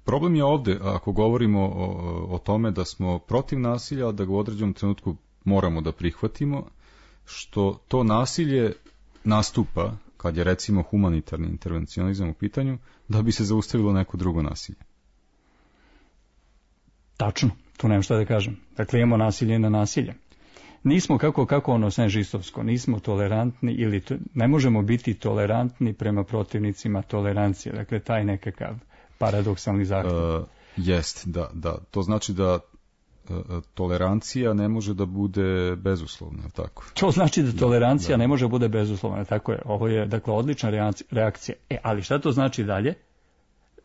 Problem je ovde, ako govorimo o, o tome da smo protiv nasilja, da ga u određenom trenutku moramo da prihvatimo, što to nasilje nastupa, kad je recimo humanitarni intervencionizam u pitanju, da bi se zaustavilo neko drugo nasilje. Tačno, tu nemam šta da kažem. Dakle, imamo nasilje na nasilje. Nismo kako, kako ono senžistovsko, nismo tolerantni ili to, ne možemo biti tolerantni prema protivnicima tolerancije. Dakle, taj nekakav paradoksalni zahtjev. Uh, jest, da, da. To znači da uh, tolerancija ne može da bude bezuslovna, tako? To znači da tolerancija da, da. ne može da bude bezuslovna, tako je. Ovo je, dakle, odlična reakcija. E, ali šta to znači dalje?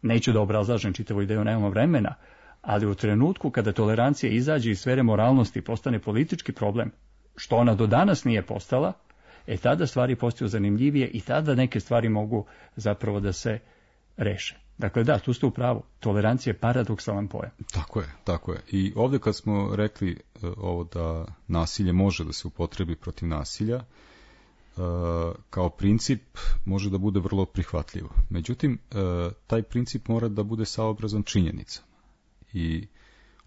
Neću da obrazlažem čitavu ideju, nemamo vremena, ali u trenutku kada tolerancija izađe iz sfere moralnosti i postane politički problem, što ona do danas nije postala, e tada stvari postaju zanimljivije i tada neke stvari mogu zapravo da se reše. Dakle, da, tu ste u pravu. Tolerancija je paradoksalan pojam. Tako je, tako je. I ovdje kad smo rekli uh, ovo da nasilje može da se upotrebi protiv nasilja, uh, kao princip može da bude vrlo prihvatljivo. Međutim, uh, taj princip mora da bude saobrazan činjenicama. I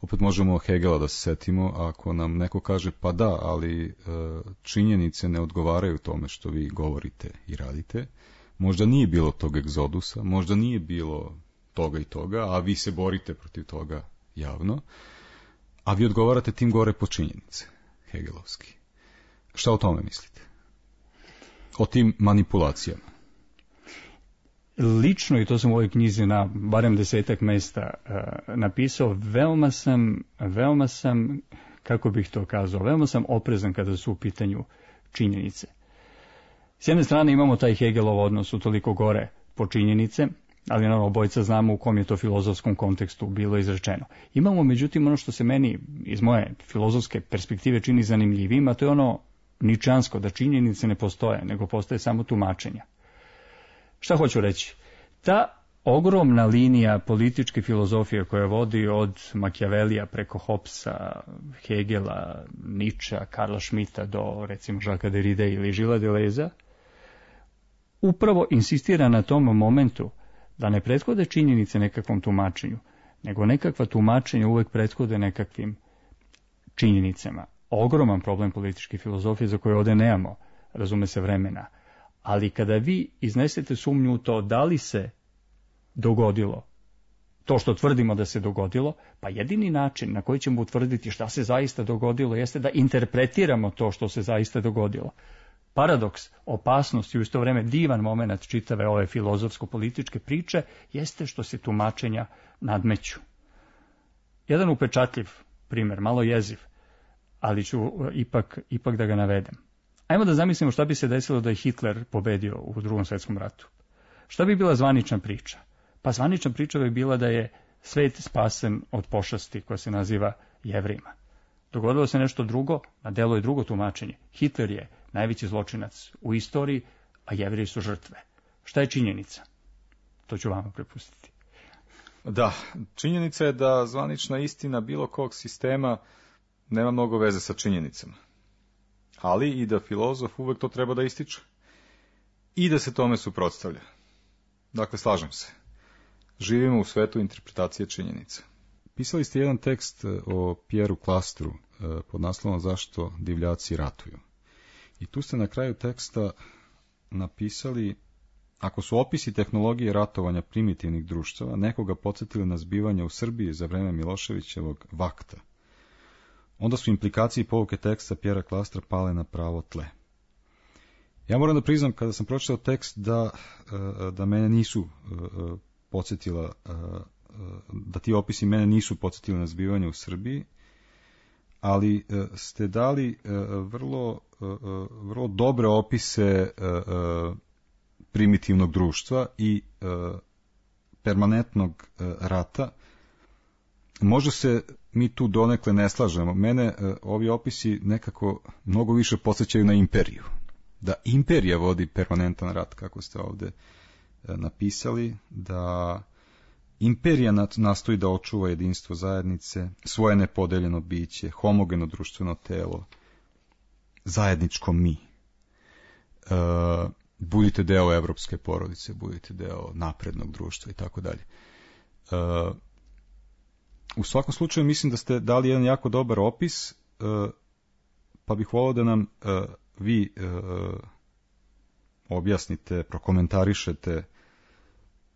opet možemo Hegela da se setimo, ako nam neko kaže pa da, ali uh, činjenice ne odgovaraju tome što vi govorite i radite, možda nije bilo tog egzodusa, možda nije bilo toga i toga, a vi se borite protiv toga javno, a vi odgovarate tim gore po činjenice, hegelovski. Šta o tome mislite? O tim manipulacijama? Lično, i to sam u ovoj knjizi na barem desetak mesta uh, napisao, veoma sam, veoma sam, kako bih to kazao, veoma sam oprezan kada su u pitanju činjenice. S jedne strane imamo taj Hegelov odnos utoliko gore po činjenice, ali naravno obojica znamo u kom je to filozofskom kontekstu bilo izrečeno. Imamo međutim ono što se meni iz moje filozofske perspektive čini zanimljivim, a to je ono ničansko, da činjenice ne postoje, nego postoje samo tumačenja. Šta hoću reći? Ta ogromna linija političke filozofije koja vodi od Machiavellija preko Hobbesa, Hegela, Nietzschea, Karla Schmidta do recimo Jacquesa Derrida ili Gilles Deleuze, upravo insistira na tom momentu da ne prethode činjenice nekakvom tumačenju, nego nekakva tumačenja uvek prethode nekakvim činjenicama. Ogroman problem političke filozofije za koje ovde nemamo, razume se, vremena. Ali kada vi iznesete sumnju u to da li se dogodilo to što tvrdimo da se dogodilo, pa jedini način na koji ćemo utvrditi šta se zaista dogodilo jeste da interpretiramo to što se zaista dogodilo. Paradoks, opasnost i u isto vreme divan moment čitave ove filozofsko-političke priče jeste što se tumačenja nadmeću. Jedan upečatljiv primjer, malo jeziv, ali ću ipak, ipak da ga navedem. Ajmo da zamislimo šta bi se desilo da je Hitler pobedio u Drugom svjetskom ratu. Šta bi bila zvanična priča? Pa zvanična priča bi bila da je svet spasen od pošasti koja se naziva Jevrima. Dogodilo se nešto drugo, na delu je drugo tumačenje. Hitler je najveći zločinac u istoriji, a Jevreji su žrtve. Šta je činjenica? To ću vama prepustiti. Da, činjenica je da zvanična istina bilo kog sistema nema mnogo veze sa činjenicama. Ali i da filozof uvek to treba da ističe. I da se tome suprotstavlja. Dakle, slažem se. Živimo u svetu interpretacije činjenica. Pisali ste jedan tekst o Pieru Klastru pod naslovom Zašto divljaci ratuju. I tu ste na kraju teksta napisali: ako su opisi tehnologije ratovanja primitivnih društava nekoga podsjetili na zbivanja u Srbiji za vreme Miloševićevog vakta, onda su implikacije i pouke teksta Piera Klastra pale na pravo tle. Ja moram da priznam, kada sam pročitao tekst, da, da mene nisu podsjetila, da ti opisi mene nisu podsjetili na zbivanje u Srbiji, ali ste dali vrlo, vrlo dobre opise primitivnog društva i permanentnog rata. Možda se mi tu donekle ne slažemo. Mene ovi opisi nekako mnogo više podsjećaju na imperiju. Da imperija vodi permanentan rat, kako ste ovde napisali, da imperija nastoji da očuva jedinstvo zajednice, svoje nepodeljeno biće, homogeno društveno telo, zajedničko mi. E, budite deo evropske porodice, budite deo naprednog društva i tako dalje. U svakom slučaju mislim da ste dali jedan jako dobar opis, e, pa bih volao da nam e, vi e, objasnite, prokomentarišete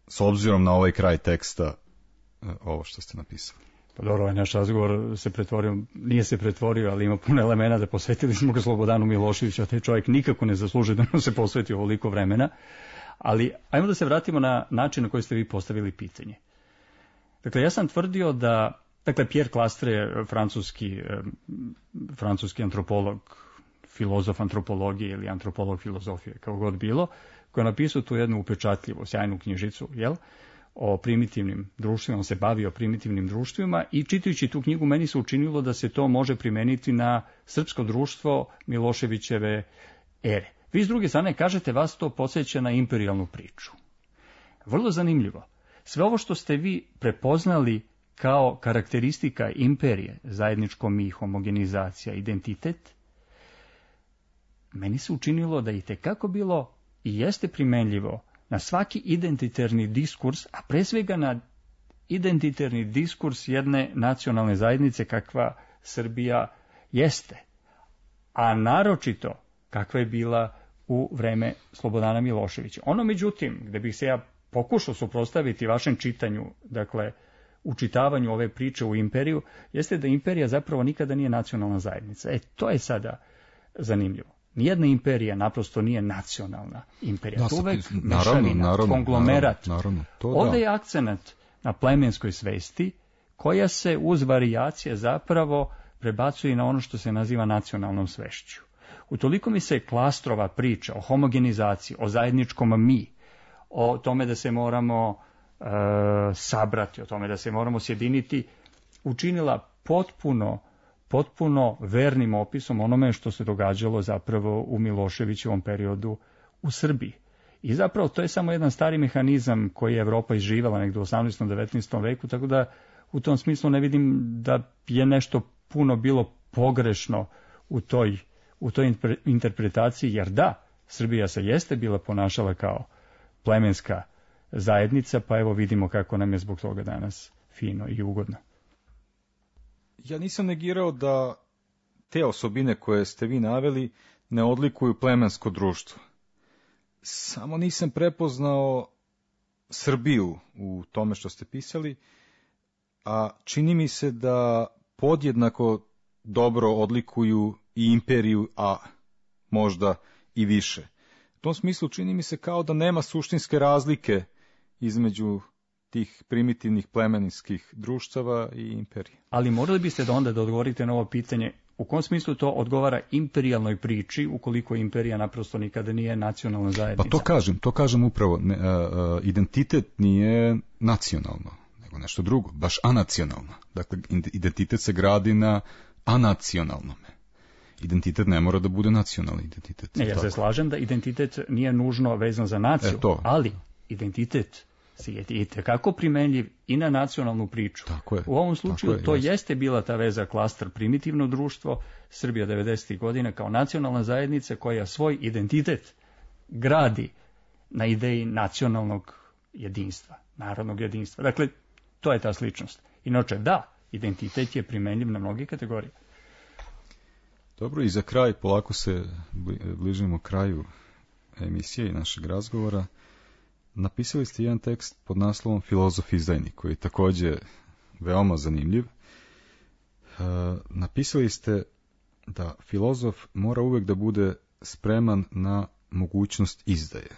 s obzirom na ovaj kraj teksta e, ovo što ste napisali. Pa dobro, ovaj naš razgovor se pretvorio, nije se pretvorio, ali ima puno elemena da posvetili smo ga Slobodanu Miloševiću, a taj čovjek nikako ne zaslužuje da nam se posveti ovoliko vremena. Ali ajmo da se vratimo na način na koji ste vi postavili pitanje. Dakle, ja sam tvrdio da, dakle, Pierre Clastre je francuski, francuski antropolog, filozof antropologije ili antropolog filozofije, kao god bilo, koji je napisao tu jednu upečatljivu, sjajnu knjižicu, jel, o primitivnim društvima, on se bavio primitivnim društvima i čitajući tu knjigu meni se učinilo da se to može primeniti na srpsko društvo Miloševićeve ere. Vi s druge strane kažete, vas to podsjeća na imperijalnu priču. Vrlo zanimljivo. Sve ovo što ste vi prepoznali kao karakteristika imperije, zajedničko mi, homogenizacija, identitet, meni se učinilo da je itekako bilo i jeste primenljivo na svaki identitarni diskurs, a pre svega na identitarni diskurs jedne nacionalne zajednice kakva Srbija jeste, a naročito kakva je bila u vreme Slobodana Miloševića. Ono, međutim, gde bih se ja pokušao suprotstaviti vašem čitanju, dakle, učitavanju ove priče u imperiju, jeste da imperija zapravo nikada nije nacionalna zajednica. E, to je sada zanimljivo. Nijedna imperija naprosto nije nacionalna imperija. Da, to uvek naravno, mešavina, naravno, konglomerat. Naravno, naravno, to Ovde da. je akcenat na plemenskoj svesti, koja se uz varijacije zapravo prebacuje na ono što se naziva nacionalnom svešću. Utoliko mi se Klastrova priča o homogenizaciji, o zajedničkom mi, o tome da se moramo e, sabrati, o tome da se moramo sjediniti, učinila potpuno, potpuno vernim opisom onome što se događalo zapravo u Miloševićevom periodu u Srbiji. I zapravo to je samo jedan stari mehanizam koji je Evropa izživala negdje u osamnaestom devetnaestom veku, tako da u tom smislu ne vidim da je nešto puno bilo pogrešno u toj, u toj interpretaciji, jer da, Srbija se jeste bila ponašala kao plemenska zajednica, pa evo vidimo kako nam je zbog toga danas fino i ugodno. Ja nisam negirao da te osobine koje ste vi naveli ne odlikuju plemensko društvo. Samo nisam prepoznao Srbiju u tome što ste pisali, a čini mi se da podjednako dobro odlikuju i imperiju, a možda i više. U tom smislu čini mi se kao da nema suštinske razlike između tih primitivnih plemenskih društava i imperije. Ali morali biste da onda da odgovorite na ovo pitanje U kom smislu to odgovara imperijalnoj priči, ukoliko imperija naprosto nikada nije nacionalna zajednica? Pa to kažem, to kažem upravo. Ne, a, a, identitet nije nacionalno, nego nešto drugo, baš anacionalno. Dakle, identitet se gradi na anacionalnome. Identitet ne mora da bude nacionalni identitet. Ne, ja se slažem da identitet nije nužno vezan za naciju, E, to. ali identitet je i tekako primenljiv i na nacionalnu priču. Tako je, U ovom slučaju tako je, to jeste. jeste bila ta veza klaster primitivno društvo, Srbija devedesetih godina kao nacionalna zajednica koja svoj identitet gradi na ideji nacionalnog jedinstva, narodnog jedinstva. Dakle, to je ta sličnost. Inače, da, identitet je primenljiv na mnoge kategorije. Dobro, i za kraj, polako se bližimo kraju emisije i našeg razgovora. Napisali ste jedan tekst pod naslovom Filozof izdajnik, koji je također veoma zanimljiv. E, napisali ste da filozof mora uvek da bude spreman na mogućnost izdaje.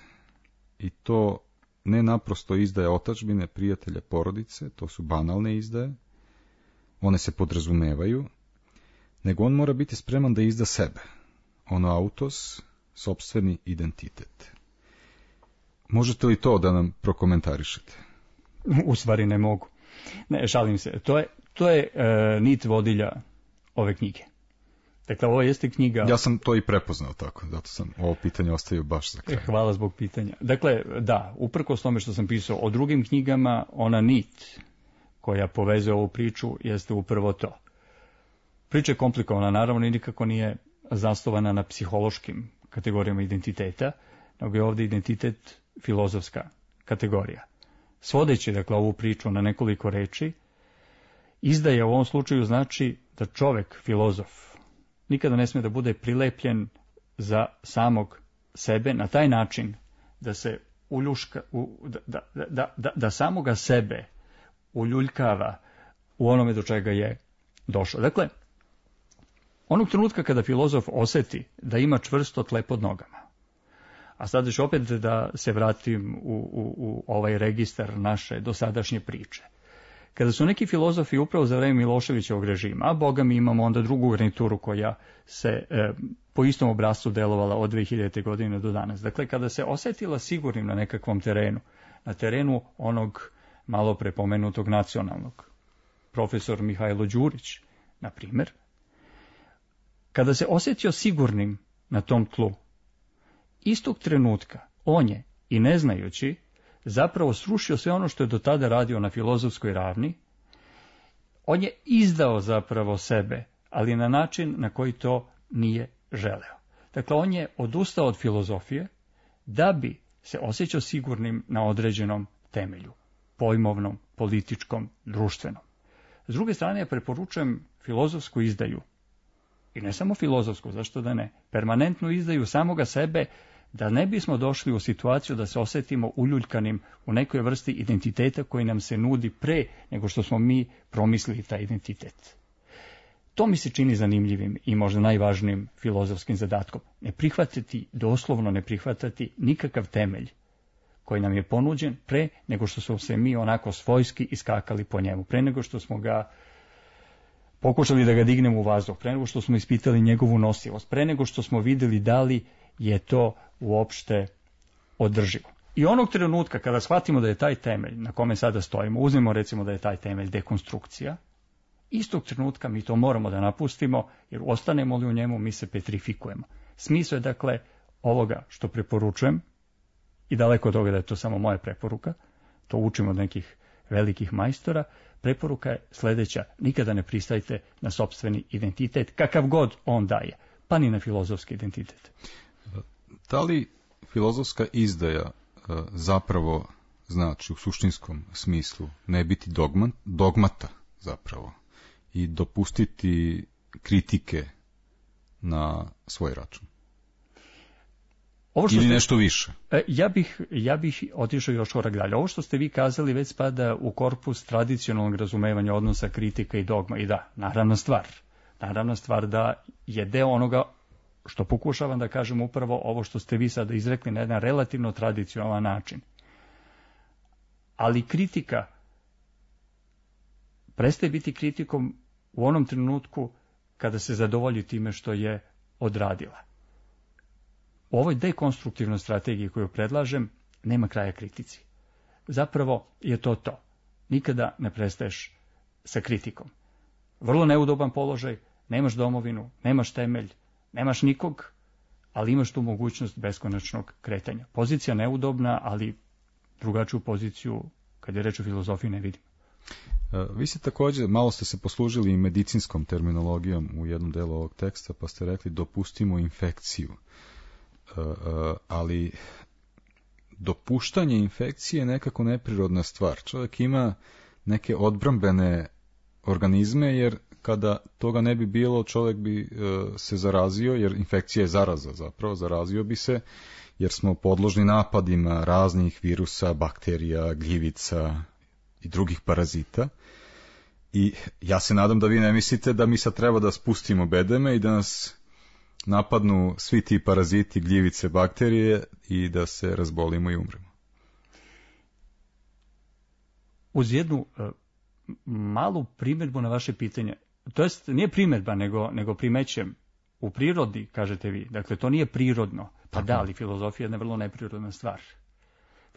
I to ne naprosto izdaje otadžbine, prijatelja, porodice, to su banalne izdaje, one se podrazumevaju, nego on mora biti spreman da izda sebe, ono autos, sopstveni identitet. Možete li to da nam prokomentarišete? U stvari ne mogu. Ne, šalim se. To je, to je e, nit vodilja ove knjige. Dakle, ovo jeste knjiga... Ja sam to i prepoznao tako, zato sam ovo pitanje ostavio baš za kraj. Hvala zbog pitanja. Dakle, da, uprkos tome što sam pisao o drugim knjigama, ona nit koja povezuje ovu priču jeste upravo to. Priča je komplikovana, naravno, i nikako nije zasnovana na psihološkim kategorijama identiteta, nego je ovdje identitet filozofska kategorija. Svodeći, dakle, ovu priču na nekoliko reči, izdaje u ovom slučaju znači da čovek, filozof, nikada ne smije da bude prilepljen za samog sebe na taj način da se uljuška, u, da, da, da, da, da samoga sebe uljuljkava u onome do čega je došao. Dakle, onog trenutka kada filozof oseti da ima čvrsto tle pod nogama, a sad ću opet da se vratim u, u, u ovaj registar naše dosadašnje priče. Kada su neki filozofi upravo za vreme Miloševićevog režima, a boga mi imamo onda drugu garnituru koja se e, po istom obrascu delovala od dve hiljadite. godine do danas. Dakle, kada se osetila sigurnim na nekakvom terenu, na terenu onog malo prepomenutog nacionalnog, profesor Mihajlo Đurić, na primjer, kada se osjetio sigurnim na tom tlu, istog trenutka on je, i ne znajući, zapravo srušio sve ono što je do tada radio na filozofskoj ravni. On je izdao zapravo sebe, ali na način na koji to nije želeo. Dakle, on je odustao od filozofije da bi se osjećao sigurnim na određenom temelju, pojmovnom, političkom, društvenom. S druge strane, ja preporučujem filozofsku izdaju, i ne samo filozofsku, zašto da ne, permanentnu izdaju samoga sebe, da ne bismo došli u situaciju da se osjetimo uljuljkanim u nekoj vrsti identiteta koji nam se nudi pre nego što smo mi promislili taj identitet. To mi se čini zanimljivim i možda najvažnijim filozofskim zadatkom. Ne prihvatiti, doslovno ne prihvatati nikakav temelj koji nam je ponuđen pre nego što smo se mi onako svojski iskakali po njemu, pre nego što smo ga pokušali da ga dignemo u vazduh, pre nego što smo ispitali njegovu nosivost, pre nego što smo vidjeli da li je to uopšte održivo. I onog trenutka kada shvatimo da je taj temelj na kome sada stojimo, uzmemo recimo da je taj temelj dekonstrukcija, istog trenutka mi to moramo da napustimo, jer ostanemo li u njemu mi se petrifikujemo. Smisao je dakle ovoga što preporučujem, i daleko od toga da je to samo moja preporuka, to učimo od nekih velikih majstora, preporuka je sljedeća: nikada ne pristajte na sopstveni identitet, kakav god on daje, pa ni na filozofski identitet. Da li filozofska izdaja zapravo znači u suštinskom smislu ne biti dogma, dogmata zapravo i dopustiti kritike na svoj račun? Ovo što Ili ste, nešto više? Ja bih, ja bih otišao još korak dalje. Ovo što ste vi kazali već spada u korpus tradicionalnog razumevanja odnosa kritika i dogma. I da, naravna stvar. Naravna stvar da je deo onoga što pokušavam da kažem upravo ovo što ste vi sada izrekli na jedan relativno tradicionalan način. Ali kritika prestaje biti kritikom u onom trenutku kada se zadovolji time što je odradila. U ovoj dekonstruktivnoj strategiji koju predlažem nema kraja kritici. Zapravo je to to. Nikada ne prestaješ sa kritikom. Vrlo neudoban položaj, nemaš domovinu, nemaš temelj, nemaš nikog, ali imaš tu mogućnost beskonačnog kretanja. Pozicija neudobna, ali drugačiju poziciju, kad je reč o filozofiji, ne vidim. Vi ste također, malo ste se poslužili i medicinskom terminologijom u jednom delu ovog teksta, pa ste rekli dopustimo infekciju. Ali dopuštanje infekcije je nekako neprirodna stvar. Čovjek ima neke odbrambene organizme, jer kada toga ne bi bilo, čovjek bi se zarazio, jer infekcija je zaraza zapravo, zarazio bi se, jer smo podložni napadima raznih virusa, bakterija, gljivica i drugih parazita. I ja se nadam da vi ne mislite da mi sad treba da spustimo bedeme i da nas napadnu svi ti paraziti, gljivice, bakterije i da se razbolimo i umremo. Uz jednu uh, malu primjedbu na vaše pitanje, to jest nije primjedba, nego, nego primećem, u prirodi, kažete vi, dakle to nije prirodno, pa da, ali filozofija je jedna vrlo neprirodna stvar.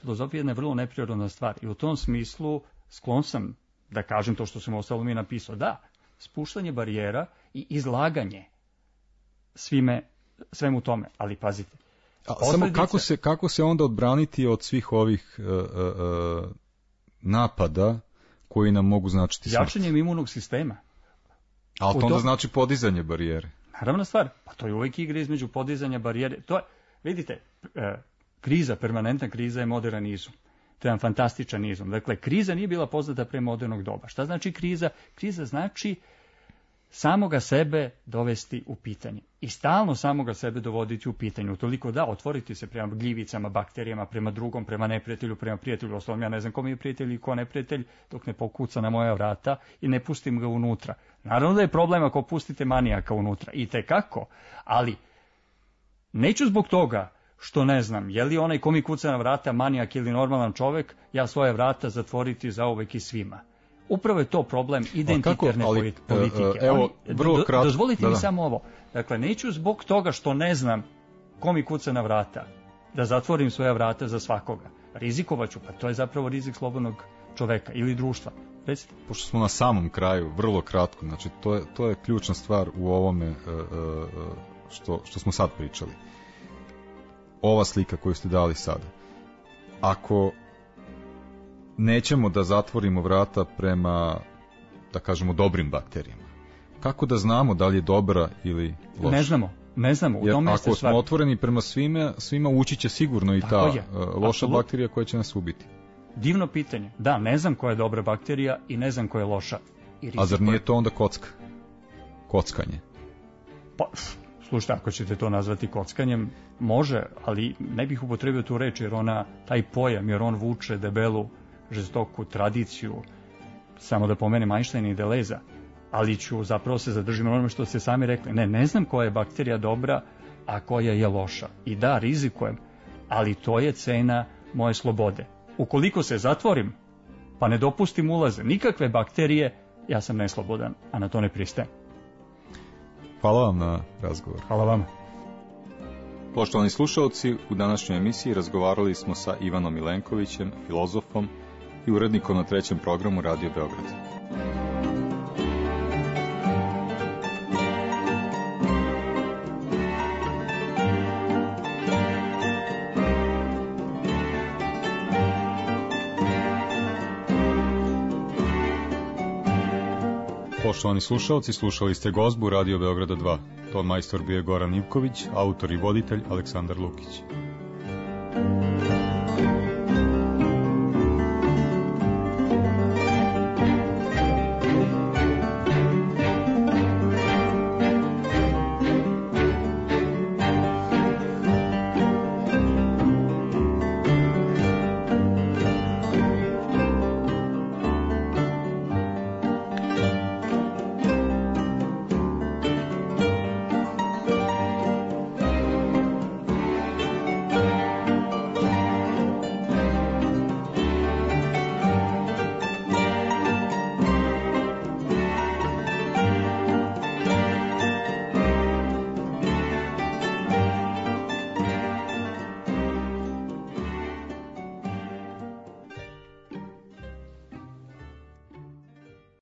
Filozofija je jedna vrlo neprirodna stvar i u tom smislu sklon sam da kažem to što sam ostalo mi napisao. Da, spuštanje barijera i izlaganje svime, svemu tome, ali pazite. A, samo kako se, kako se onda odbraniti od svih ovih uh, uh, napada koji nam mogu značiti smrt? Jačanjem imunog sistema. A to onda to... znači podizanje barijere. Naravna stvar, pa to je uvijek igra između podizanja barijere. To je, vidite, uh, kriza, permanentna kriza je modern izum. To je jedan fantastičan izum. Dakle, kriza nije bila poznata pre modernog doba. Šta znači kriza? Kriza znači samoga sebe dovesti u pitanje. I stalno samoga sebe dovoditi u pitanje. Utoliko da, otvoriti se prema gljivicama, bakterijama, prema drugom, prema neprijatelju, prema prijatelju. Osnovno, ja ne znam ko mi je prijatelj i ko neprijatelj, dok ne pokuca na moja vrata i ne pustim ga unutra. Naravno da je problem ako pustite manijaka unutra. I tekako. Ali, neću zbog toga što ne znam, je li onaj ko mi kuca na vrata manijak ili normalan čovek, ja svoje vrata zatvoriti zauvek i svima. Upravo je to problem identitarne ali, politike. Evo, vrlo do, kratko, dozvolite da, mi da. samo ovo. Dakle, neću zbog toga što ne znam ko mi kuca na vrata, da zatvorim svoja vrata za svakoga. Rizikovaću, pa to je zapravo rizik slobodnog čoveka ili društva. Recite. Pošto smo na samom kraju, vrlo kratko, znači to je, to je ključna stvar u ovome što, što smo sad pričali. Ova slika koju ste dali sada. Ako nećemo da zatvorimo vrata prema, da kažemo, dobrim bakterijama, kako da znamo da li je dobra ili loša? Ne znamo, ne znamo. U Jer tome ako smo stvar... otvoreni prema svime, svima ući će sigurno i Tako ta je. loša Absolut. bakterija koja će nas ubiti. Divno pitanje. Da, ne znam koja je dobra bakterija i ne znam koja je loša. I A zar nije to onda kocka? Kockanje? Pa... Slušajte, ako ćete to nazvati kockanjem, može, ali ne bih upotrebio tu reč, jer ona, taj pojam, jer on vuče debelu, žestoku tradiciju, samo da pomenem Einsteina i Deleza, ali ću zapravo se zadržiti na onome što ste sami rekli. Ne, ne znam koja je bakterija dobra, a koja je loša. I da, rizikujem, ali to je cena moje slobode. Ukoliko se zatvorim, pa ne dopustim ulaze nikakve bakterije, ja sam neslobodan, a na to ne pristajem. Hvala vam na razgovor. Hvala vam. Poštovani slušalci, u današnjoj emisiji razgovarali smo sa Ivanom Milenkovićem, filozofom i urednikom na trećem programu Radio Beograd. Poštovani slušalci, slušali ste gozbu Radio Beograda dva. Ton majstor bio je Goran Ivković, autor i voditelj Aleksandar Lukić.